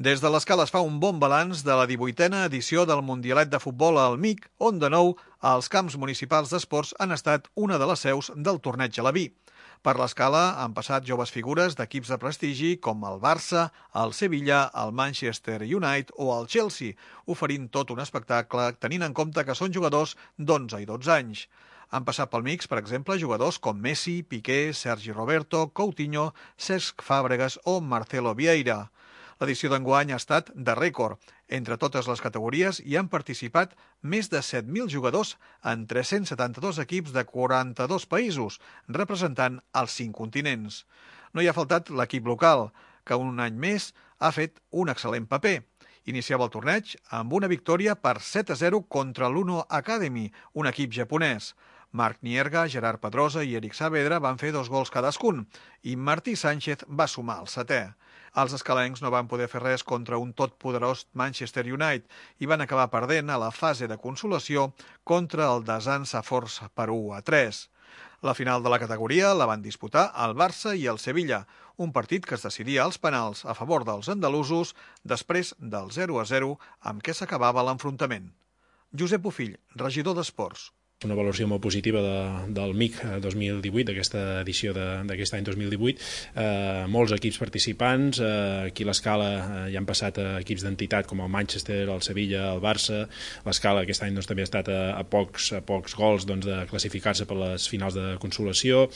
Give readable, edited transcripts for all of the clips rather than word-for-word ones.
Des de l'Escala es fa un bon balanç de la 18a edició del Mundialet de Futbol al MIC, on de nou els camps municipals d'esports han estat una de les seus del torneig a la Vi. Per l'Escala han passat joves figures d'equips de prestigi com el Barça, el Sevilla, el Manchester United o el Chelsea, oferint tot un espectacle tenint en compte que són jugadors d'11 i 12 anys. Han passat pel mix, per exemple, jugadors com Messi, Piqué, Sergi Roberto, Coutinho, Cesc Fàbregas o Marcelo Vieira. L'edició d'enguany ha estat de rècord. Entre totes les categories hi han participat més de 7.000 jugadors en 372 equips de 42 països, representant els 5 continents. No hi ha faltat l'equip local, que un any més ha fet un excel·lent paper. Iniciava el torneig amb una victòria per 7-0 contra l'Uno Academy, un equip japonès. Marc Nierga, Gerard Pedrosa i Eric Saavedra van fer 2 gols cadascun i Martí Sánchez va sumar el 7è. Els escalencs no van poder fer res contra un totpoderós Manchester United i van acabar perdent a la fase de consolació contra el Desan Saforç per 1-3. La final de la categoria la van disputar el Barça i el Sevilla, un partit que es decidia als penals a favor dels andalusos després del 0-0 amb què s'acabava l'enfrontament. Josep Bofill, regidor d'Esports. Una valoració molt positiva del MIC 2018, d'aquesta edició d'aquest any 2018. Molts equips participants, aquí a l'Escala hi han passat equips d'entitat com el Manchester, el Sevilla, el Barça. L'Escala aquest any també ha estat a pocs gols de classificar-se per les finals de consolació,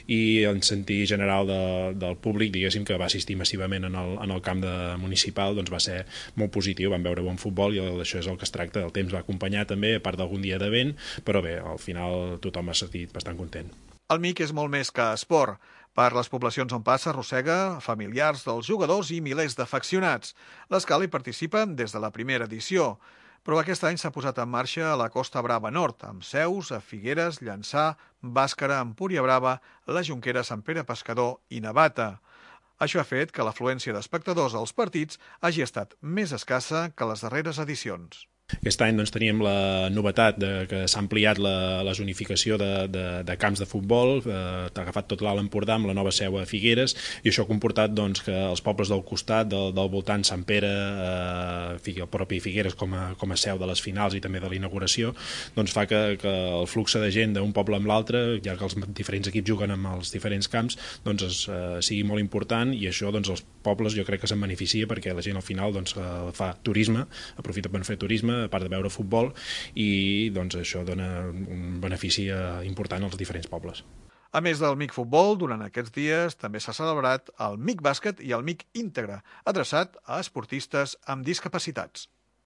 i en sentit general del públic, diguéssim, que va assistir massivament en el camp municipal, va ser molt positiu. Vam veure bon futbol i això és el que es tracta. El temps va acompanyar també, a part d'algun dia de vent, però bé, al final tothom ha sentit bastant content. El MIC és molt més que esport. Per les poblacions on passa arrossega familiars dels jugadors i milers d'afeccionats. L'Escala hi participa des de la primera edició, però aquest any s'ha posat en marxa a la Costa Brava Nord, amb seus a Figueres, Llançà, Bàscara, Empúria Brava, la Jonquera, Sant Pere Pescador i Navata. Això ha fet que l'afluència d'espectadors als partits hagi estat més escassa que les darreres edicions. Aquest any teníem la novetat que s'ha ampliat la zonificació de camps de futbol, t'ha agafat tot l'Alt Empordà amb la nova seu a Figueres, i això ha comportat que els pobles del costat, del voltant, Sant Pere, el propi Figueres com a seu de les finals i també de la inauguració, fa que el flux de gent d'un poble amb l'altre, ja que els diferents equips juguen amb els diferents camps, sigui molt important, i això els pobles jo crec que se'n beneficia perquè la gent al final fa turisme, aprofita per fer turisme, a part de veure futbol, i això dona un benefici important als diferents pobles. A més del MIC Futbol, durant aquests dies també s'ha celebrat el MIC Bàsquet i el MIC Íntegre, adreçat a esportistes amb discapacitats.